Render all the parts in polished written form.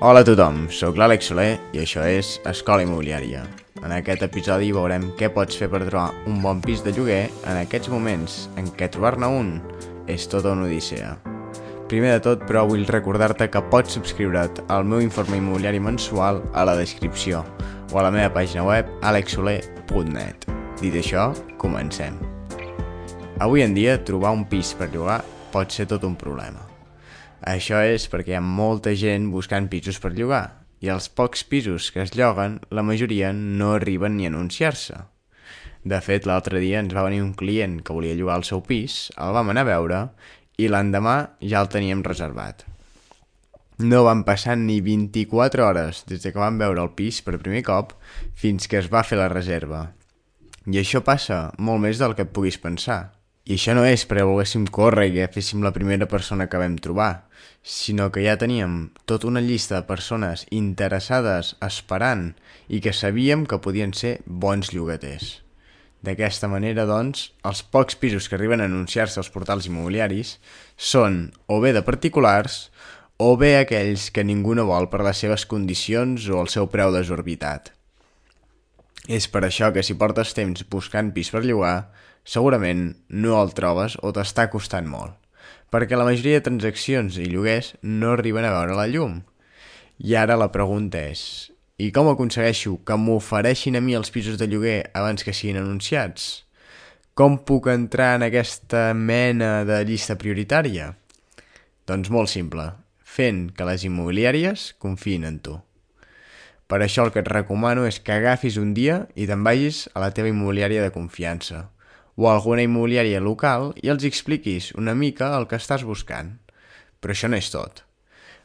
Hola a tothom, sóc l'Àlex Soler i això és Escola Immobiliària. En aquest episodi veurem què pots fer per trobar un bon pis de lloguer en aquests moments en què trobar-ne un és tota una odissea. Primer de tot, però, vull recordar-te que pots subscriure't al meu informe immobiliari mensual a la descripció o a la meva pàgina web alexsoler.net. Dit això, comencem. Avui en dia, trobar un pis per llogar pot ser tot un problema. Això és perquè hi ha molta gent buscant pisos per llogar i els pocs pisos que es lloguen, la majoria no arriben ni a anunciar-se. De fet, l'altre dia ens va venir un client que volia llogar el seu pis, el vam anar a veure i l'endemà ja el teníem reservat. No van passar ni 24 hores des que vam veure el pis per primer cop fins que es va fer la reserva. I això passa molt més del que et puguis pensar. I això no és perquè volguéssim córrer i que féssim la primera persona que vam trobar, sinó que ja teníem tota una llista de persones interessades esperant i que sabíem que podien ser bons llogaters. D'aquesta manera, doncs, els pocs pisos que arriben a anunciar-se als portals immobiliaris són o bé de particulars o bé aquells que ningú no vol per les seves condicions o el seu preu desorbitat. És per això que si portes temps buscant pis per llogar, segurament no el trobes o t'està costant molt, perquè la majoria de transaccions i lloguers no arriben a veure la llum. I ara la pregunta és, i com aconsegueixo que m'ofereixin a mi els pisos de lloguer abans que siguin anunciats? Com puc entrar en aquesta mena de llista prioritària? Doncs molt simple, fent que les immobiliàries confiïn en tu. Per això el que et recomano és que agafis un dia i te'n vagis a la teva immobiliària de confiança o a alguna immobiliària local i els expliquis una mica el que estàs buscant. Però això no és tot.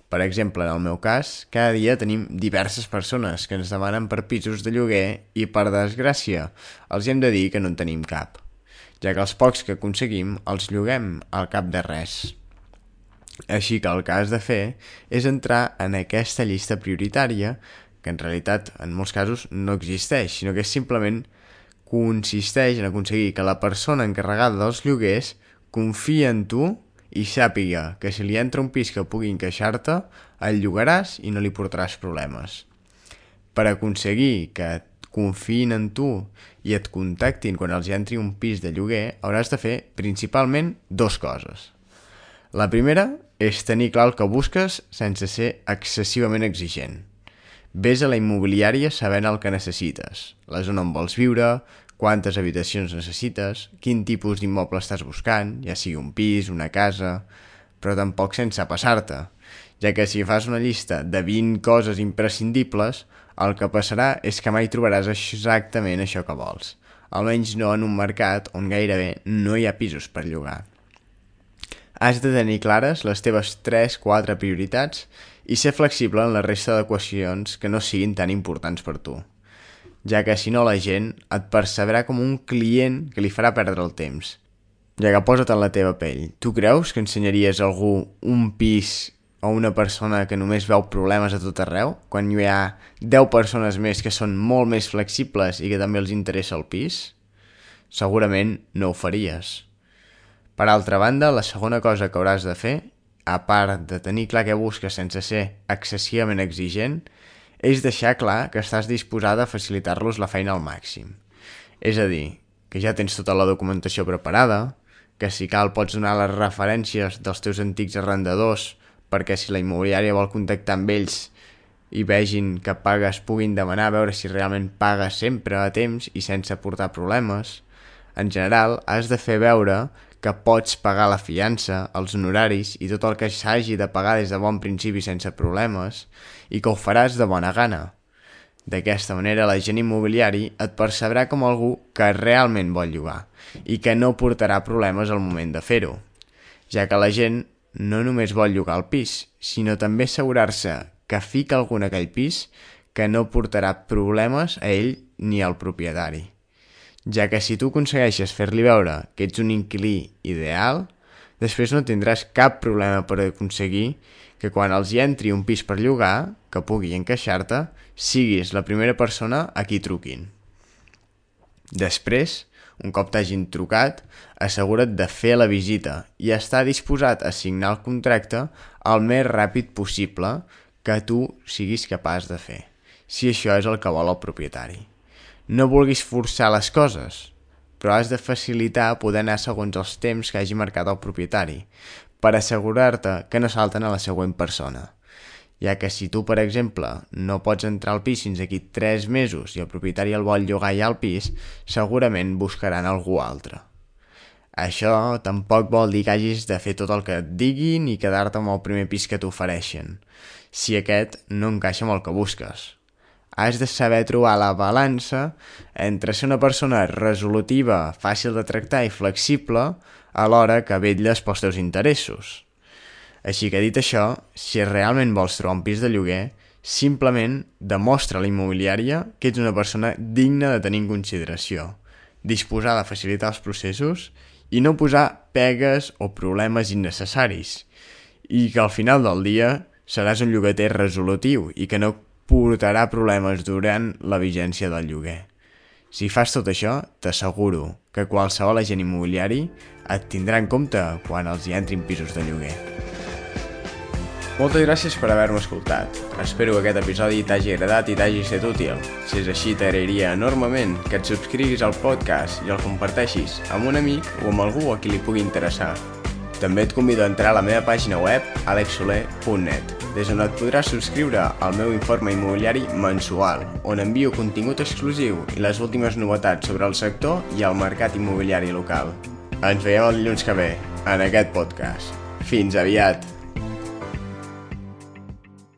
Per exemple, en el meu cas, cada dia tenim diverses persones que ens demanen per pisos de lloguer i, per desgràcia, els hem de dir que no en tenim cap, ja que els pocs que aconseguim els lloguem al cap de res. Així que el que has de fer és entrar en aquesta llista prioritària que en realitat en molts casos no existeix, sinó que simplement consisteix en aconseguir que la persona encarregada dels lloguers confia en tu i sàpiga que si li entra un pis que pugui encaixar-te, el llogaràs i no li portaràs problemes. Per aconseguir que confiïn en tu i et contactin quan els entri un pis de lloguer, hauràs de fer principalment dues coses. La primera és tenir clar el que busques sense ser excessivament exigent. Ves a la immobiliària sabent el que necessites, la zona on vols viure, quantes habitacions necessites, quin tipus d'immoble estàs buscant, ja sigui un pis, una casa, però tampoc sense passar-te, ja que si fas una llista de 20 coses imprescindibles, el que passarà és que mai trobaràs exactament això que vols, almenys no en un mercat on gairebé no hi ha pisos per llogar. Has de tenir clares les teves 3-4 prioritats i ser flexible en la resta d'equacions que no siguin tan importants per tu, ja que si no la gent et percebrà com un client que li farà perdre el temps. Ja que posa't en la teva pell, tu creus que ensenyaries a algú un pis o una persona que només veu problemes a tot arreu, quan hi ha 10 persones més que són molt més flexibles i que també els interessa el pis? Segurament no ho faries. Per altra banda, la segona cosa que hauràs de fer, a part de tenir clar què busques sense ser excessivament exigent, és deixar clar que estàs disposada a facilitar-los la feina al màxim. És a dir, que ja tens tota la documentació preparada, que si cal pots donar les referències dels teus antics arrendadors perquè si la immobiliària vol contactar amb ells i vegin que pagues puguin demanar a veure si realment pagues sempre a temps i sense portar problemes. En general, has de fer veure que pots pagar la fiança, els honoraris i tot el que s'hagi de pagar des de bon principi sense problemes i que ho faràs de bona gana. D'aquesta manera, l'agent immobiliari et percebrà com algú que realment vol llogar i que no portarà problemes al moment de fer-ho, ja que la gent no només vol llogar el pis, sinó també assegurar-se que fica algú en aquell pis que no portarà problemes a ell ni al propietari. Ja que si tu aconsegueixes fer-li veure que ets un inquilí ideal, després no tindràs cap problema per aconseguir que quan els hi entri un pis per llogar, que pugui encaixar-te, siguis la primera persona a qui truquin. Després, un cop t'hagin trucat, assegura't de fer la visita i estar disposat a signar el contracte el més ràpid possible, que tu siguis capaç de fer, si això és el que vol el propietari. No vulguis forçar les coses, però has de facilitar poder anar segons els temps que hagi marcat el propietari, per assegurar-te que no salten a la següent persona. Ja que si tu, per exemple, no pots entrar al pis fins aquí 3 mesos i el propietari el vol llogar ja al pis, segurament buscaran algú altre. Això tampoc vol dir que hagis de fer tot el que et diguin i quedar-te amb el primer pis que t'ofereixen, si aquest no encaixa amb el que busques. Has de saber trobar la balança entre ser una persona resolutiva, fàcil de tractar i flexible, alhora que vetlles pels teus interessos. Així que dit això, si realment vols trobar un pis de lloguer, simplement demostra a la immobiliària que ets una persona digna de tenir en consideració, disposada a facilitar els processos i no posar pegues o problemes innecessaris, i que al final del dia seràs un llogater resolutiu i que no portarà problemes durant la vigència del lloguer. Si fas tot això, t'asseguro que qualsevol agent immobiliari et tindrà en compte quan els hi entrin pisos de lloguer. Moltes gràcies per haver-me escoltat. Espero que aquest episodi t'hagi agradat i t'hagi estat útil. Si és així, t'agrairia enormement que et subscriguis al podcast i el comparteixis amb un amic o amb algú a qui li pugui interessar. També et convido a entrar a la meva pàgina web alexsoler.net, des on et podràs subscriure al meu informe immobiliari mensual, on envio contingut exclusiu i les últimes novetats sobre el sector i el mercat immobiliari local. Ens veiem el dilluns que ve, en aquest podcast. Fins aviat!